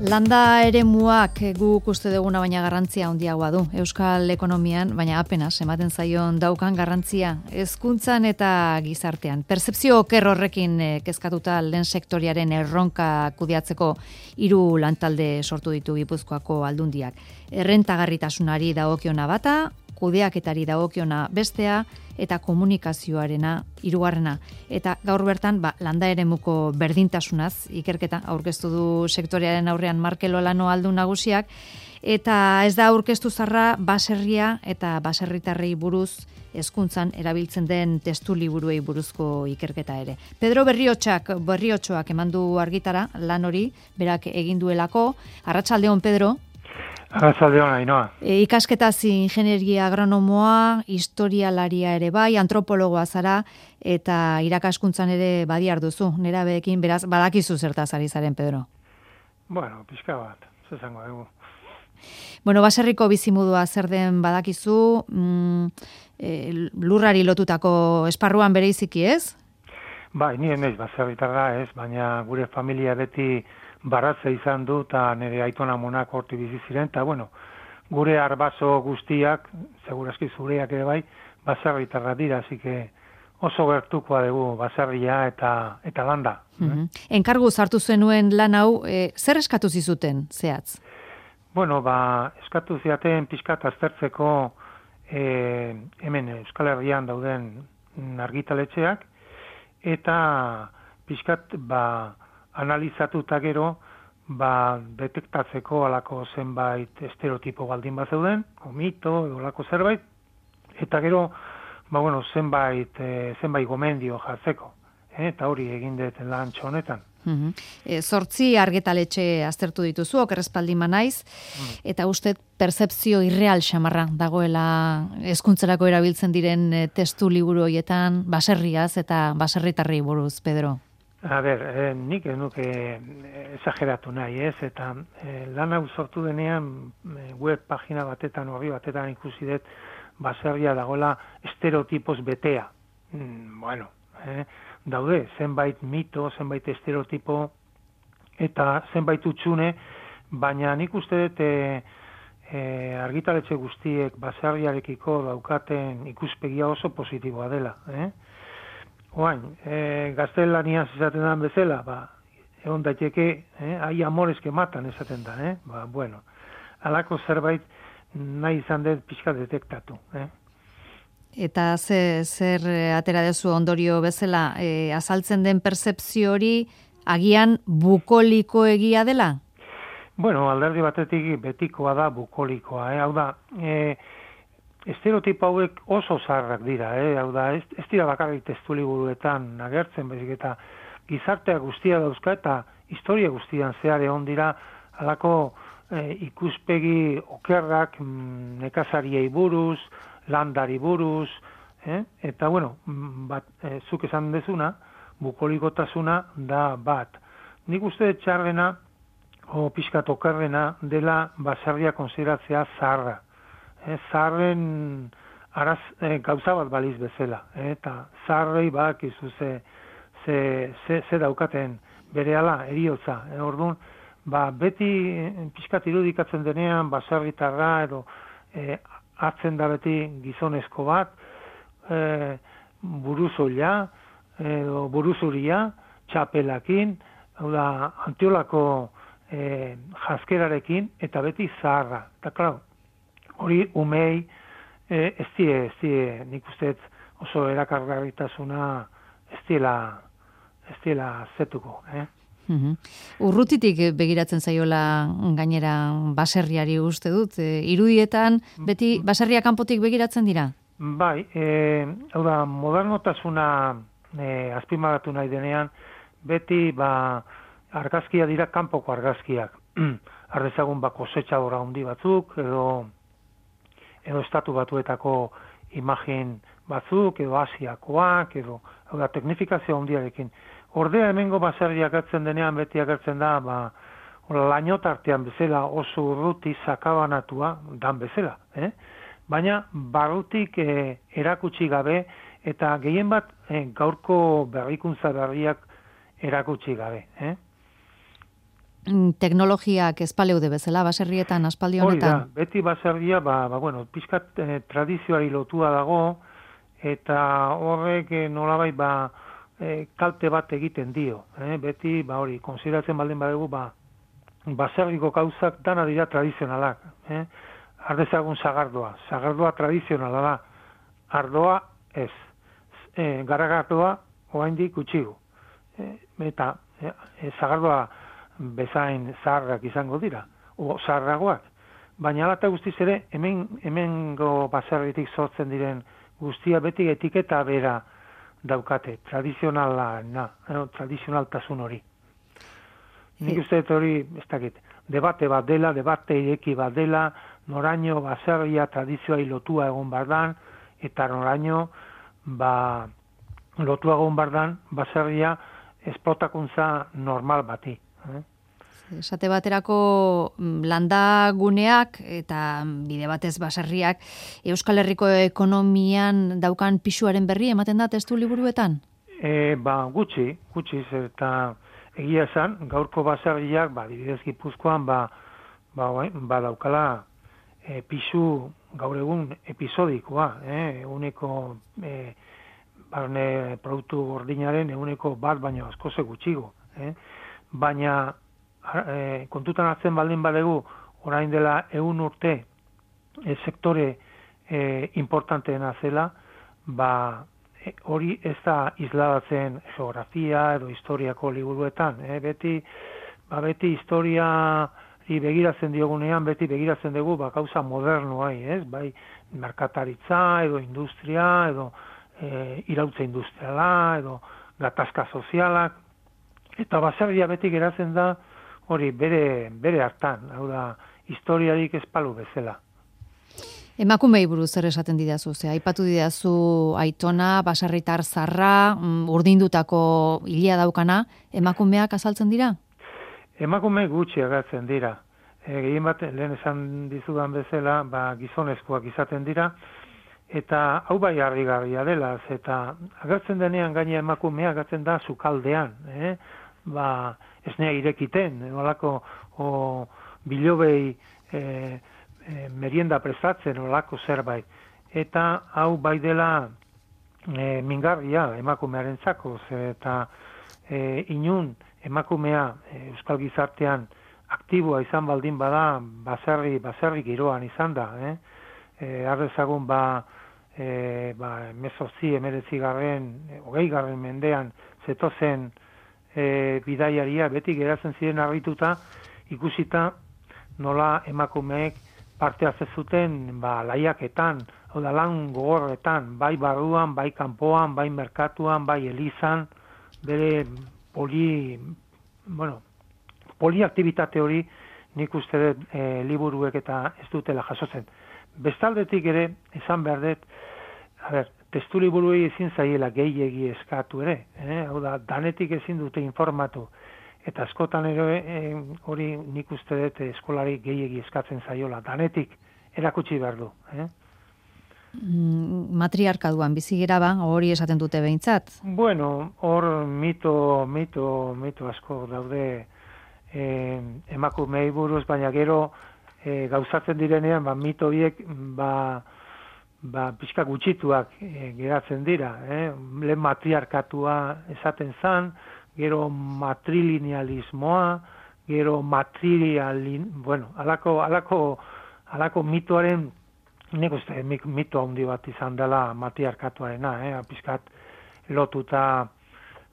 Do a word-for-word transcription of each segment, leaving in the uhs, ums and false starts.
Landa eremuak guk uste duguna baina garrantzia handiagoa du euskal ekonomian, baina apenas ematen zaion daukan garrantzia hezkuntzan eta gizartean. Pertzepzio oker horrekin kezkatuta lehen sektoriaren erronka kudeatzeko hiru lantalde sortu ditu Gipuzkoako aldundiak. Errentagarritasunari dagokiona bata, kudeaketari dagokiona bestea eta komunikazioarena hirugarrena. Eta gaur bertan ba, landa eremuko berdintasunaz ikerketa aurkeztu du sektorearen aurrean Markel Olano aldun nagusiak, eta ez da aurkeztu zarra baserria eta baserritarrei buruz hezkuntzan erabiltzen den testu liburuei buruzko ikerketa ere. Pedro Berriotxak, Berriotxoak emandu argitara lan hori, berak egin duelako. Arratsaldeon, Pedro. Arratsaldeon, Ainhoa. E, ikasketaz ingenieria agronomoa, historialaria ere bai, antropologoa zara, eta irakaskuntzan ere badiar duzu. Nerabeekin, beraz, badakizu zertaz ari zaren, Pedro. Bueno, pixka bat, zezango dugu. Bueno, baserriko bizimodua zer den badakizu, mm, e, lurrari lotutako esparruan bereiziki, ez? Bai, ni emez baserritarra ez, baina gure familia beti baratze izan du, eta nire aitona monak horti bizi ziren, eta bueno, gure arbaso guztiak, segurazki zureak ere bai, baserritarra dira, así que oso gertukoa dugu baserria eta eta landa. Mm-hmm. eh? Enkargu sartu zenuen lan hau, e, zer eskatu zizuten, zehatz? Bueno, ba, eskatu ziaten pixkat aztertzeko e, hemen Euskal Herrian dauden argitaletxeak, eta pixkat, ba, analizatuta gero, ba, detektatzeko alako zenbait estereotipo baldin bat zeuden, o mito, edo alako zerbait, eta gero, ba, bueno, zenbait, e, zenbait gomendio jartzeko, eh? Eta hori egin dut lan honetan. Mm-hmm. E, zortzi argitaletxe aztertu dituzu, okerrezpaldin manaiz, mm. eta uste pertzepzio irreal xamarra dagoela hezkuntzarako erabiltzen diren e, testu liburu horietan baserriaz eta baserritarrei buruz, Pedro. A ber, eh, nik ez nuke exageratu nahi, ez, eta eh, lan hau sortu denean eh, web pagina batetan, horri batetan ikusi dut baserria dagoela estereotipos betea. Mm, bueno, eh, daude, zenbait mito, zenbait estereotipo, eta zenbait utxune, baina nik uste dut eh, eh, argitaletxe guztiek baserriarekiko daukaten ikuspegia oso positiboa dela, eh? Oain, e, gaztelaniaz esaten dan bezala, ba, egon daiteke, eh, hai amores que matan esaten da, eh? Ba, bueno, alako zerbait nahi izan dut pixka detektatu, eh? Eta ze, zer atera dezu ondorio bezala, e, azaltzen den pertzepzio hori agian bukoliko egia dela? Bueno, alderdi batetik betikoa da bukolikoa, eh? Hau da, e, estereotipo hauek oso zaharrak dira, eh? Hau da, ez, ez dira bakarrik testu liburuetan agertzen, bezik eta gizartea guztia dauzka eta historia guztian zehar egon dira halako eh, ikuspegi okerrak mm, nekazariei buruz, landari buruz, eh? Eta bueno, bat, eh, zuk esan dezuna, bukolikotasuna da bat. Nik uste txarrena, o pixkat okerrena dela baserria konsideratzea zaharra. Eh, zaharren araz, eh, gauza bat baliz bezala, eh, eta zaharrei bak izu ze, ze, ze, ze daukaten berehala eriotza. Eh, orduan, ba, beti eh, pixkat irudikatzen denean baserritarra edo eh, hartzen da beti gizonezko bat, eh, buruzoila edo buruzuria, txapelakin, hau da, antiolako eh, jaskerarekin, eta beti zaharra. Eta, klar, hori umei eh, ez die, ez die, nik uste oso erakargarritasuna ez diela, ez diela zetuko. Eh? Mm-hmm. Urrutitik begiratzen zaiola gainera baserriari uste dut. E, irudietan beti baserria kanpotik begiratzen dira? Bai, e, hau da, modernotasuna e, azpimarratu nahi denean, beti ba, argazkia dira kanpoko argazkiak. Ardezagun ba, kosetxadora handi batzuk, edo edo estatu batuetako imagin batzuk, edo asiakoak, edo hau da, teknifikazio handiarekin. Ordea hemengo baserriak agertzen denean beti agertzen da, ba, lainotartean bezala oso urruti sakabanatua dan bezala. Eh? Baina barrutik eh, erakutsi gabe eta gehien bat eh, gaurko berrikuntza berriak erakutsi gabe. Eh? teknologiak espaleude bezala, baserrietan aspaldi honetan? Hori da, beti baserria, ba, ba bueno, pixkat eh, tradizioari lotua dago, eta horrek eh, nolabait ba, eh, kalte bat egiten dio. Eh? Beti, ba hori, konsideratzen baldin badugu, ba, baserriko gauzak dana dira tradizionalak. Eh? Ardezagun sagardoa, sagardoa tradizionala da, ardoa ez, e, garagardoa oraindik gutxigu. E, eta e, sagardoa bezain zaharrak izango dira, o zaharragoak. Baina ala eta guztiz ere, hemen hemengo baserritik sortzen diren guztia beti etiketa bera daukate, tradizionala, na, no, tradizionaltasun hori. Nik uste dut hori, ez dakit, debate bat dela, debate ireki bat dela, noraino baserria tradizioa lotua egon bardan, eta noraino ba, lotua egon bardan baserria esplotakuntza normal bati. Eh? Esate baterako landaguneak eta bide batez baserriak Euskal Herriko ekonomian daukan pisuaren berri ematen da testu liburuetan? E, ba, gutxi, gutxi, eta egia esan, gaurko baserriak, ba, dibidez Gipuzkoan, ba, ba, ba daukala e, pisu gaur egun episodikoa, eh? Eguneko e, barne produktu gordinaren eguneko bat baino askoze gutxigo. Eh? Baina e, kontutan hartzen baldin badegu, orain dela ehun urte e, sektore e, importanteena zela, ba, e, hori ez da isladatzen geografia edo historiako liburuetan. Eh? Beti, ba, beti historia begiratzen diogunean, beti begiratzen dugu ba, gauza modernoai, ez? Bai, merkataritza, edo industria, edo e, irautza industriala, edo gatazka sozialak, eta baserria beti geratzen da hori bere, bere hartan, hau da, historiarik espalu bezala. Emakumei buruz zer esaten didazu, ze aipatu didazu aitona, baserritar zarra, urdindutako hilia daukana, emakumeak azaltzen dira? Emakume gutxi agertzen dira. E, gehien bat, lehen esan dizudan bezala, ba, gizonezkoak izaten dira, eta hau bai harrigarria dela, eta agertzen denean gaina emakumea agertzen da sukaldean, eh? Ba, esnea irekiten, olako o, bilobei e, e, merienda prestatzen, olako zerbait. Eta hau bai dela e, mingarria emakumearentzako, eta e, inun emakumea Euskal Gizartean aktiboa izan baldin bada, baserri, baserri giroan izan da. Eh? E, Ardezagun ba, e, ba emezortzi, emeretzi garren, hogei garren mendean zetozen e, bidaiaria, beti geratzen ziren harrituta, ikusita nola emakumeek parte hartzen zuten ba, laiaketan, hau da lan gogorretan, bai barruan, bai kanpoan, bai merkatuan, bai elizan, bere poli, bueno, poliaktibitate hori nik uste dut e, liburuek eta ez dutela jasotzen. Bestaldetik ere, esan behar dut, a ber, testu liburuei ezin zaiela gehiegi eskatu ere, eh? Hau da, danetik ezin dute informatu, eta askotan ere e, hori nik uste dut eskolari gehiegi eskatzen zaiola, danetik erakutsi behar du. Eh? Matriarkaduan bizigera ba, hori esaten dute behintzat. Bueno, hor mito, mito, mito asko daude eh, emakumei buruz, baina gero eh, gauzatzen direnean, ba, mito biek, ba, ba, pixka gutxituak eh, geratzen dira. Eh? Lehen matriarkatua esaten zan, gero matrilinealismoa, gero matrilialin, bueno, alako, alako, alako mitoaren nik uste mito handi bat izan dela matriarkatuarena, eh? Pizkat lotuta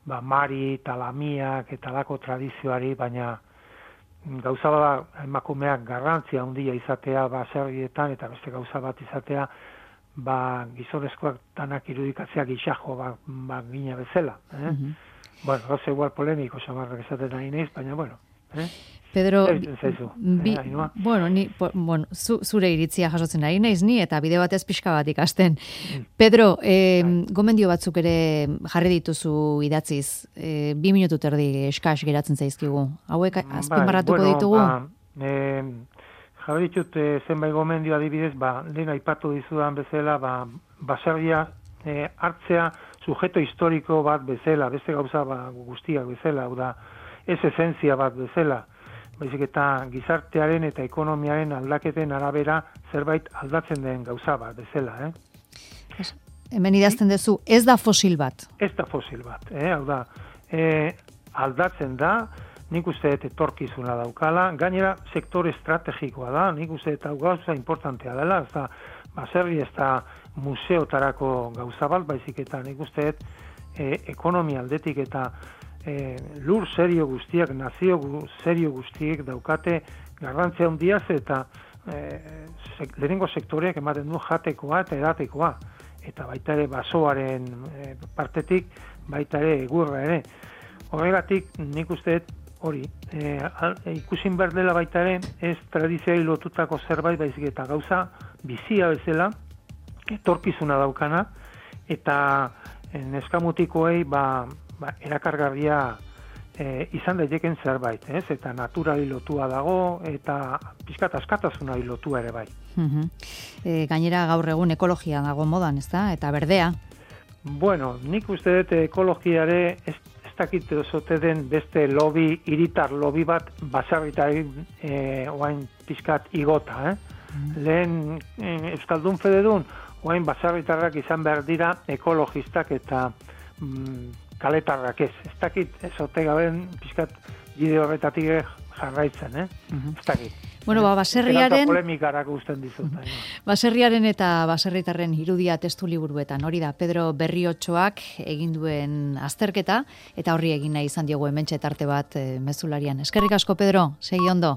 ba, Mari, Talamiak eta lako tradizioari, baina gauza bat emakumeak garrantzia handia izatea baserrietan eta beste gauza bat izatea ba, gizonezkoak danak irudikatzea gixajo ba, ba, gina bezala. Eh? Mm-hmm. Bueno, gauza igual polemiko samarrak esaten nahi neiz, baina bueno. Eh? Pedro, bi, eh, bueno, ni, po, bueno, zu, zure iritzia jasotzen ari naiz ni, eta bide batez pixka bat ikasten. Mm. Pedro, eh, gomendio batzuk ere jarri dituzu idatziz, eh, bi minutu terdi eskas geratzen zaizkigu. Hauek azpimarratuko bueno, ditugu? Ba, eh, jarri ditut eh, zenbait gomendio adibidez, ba, lehen aipatu dizudan bezala, ba, baserria eh, hartzea sujeto historiko bat bezala, beste gauza ba, guztiak bezala, hau da, ez esentzia bat bezala. baizik eta gizartearen eta ekonomiaren aldaketen arabera zerbait aldatzen den gauza bat, bezala, eh? Hemen idazten duzu, ez da fosil bat. Ez da fosil bat, eh? Hau da, eh, aldatzen da, nik uste dut etorkizuna daukala, gainera sektore estrategikoa da, nik uste dut hau gauza importantea dela, ez da, baserri ez da museotarako gauza bat, baizik eta nik uste dut e, ekonomia aldetik eta e, lur serio guztiak, nazio gu, serio guztiek daukate garrantzia handiaz eta e, sek, lehenengo sektoreak ematen du jatekoa eta edatekoa, eta baita ere basoaren e, partetik, baita ere egurra ere. Horregatik nik uste dut hori, e, al, e, ikusin behar dela baita ere, ez tradizioari lotutako zerbait baizik eta gauza bizia bezala, etorkizuna daukana, eta neskamutikoei ba, ba, erakargarria e, izan daiteken zerbait, ez? Eta naturali lotua dago, eta pixkat askatasuna lotua ere bai. Uh-huh. E, gainera gaur egun ekologia dago modan, ez da? Eta berdea? Bueno, nik uste dut ekologiare ez ez dakit zote den beste lobby, hiritar lobby bat baserritari e, oain pizkat igota, eh? Mm. Lehen e, Euskaldun Fededun oain baserritarrak izan behar dira ekologistak eta mm, kaletarrak ez. Ez dakit zote gaben pizkat bide horretatik jarraitzen, eh? Mm-hmm. Ez dakit. Bueno, ba, baserriaren... polemikarak usten dizut. Baserriaren eta baserritarren irudia testu liburuetan. Hori da, Pedro Berriotxoak egin duen azterketa, eta horri egin nahi izan diogu hementxe tarte bat e, mezularian. Eskerrik asko, Pedro, segi ondo.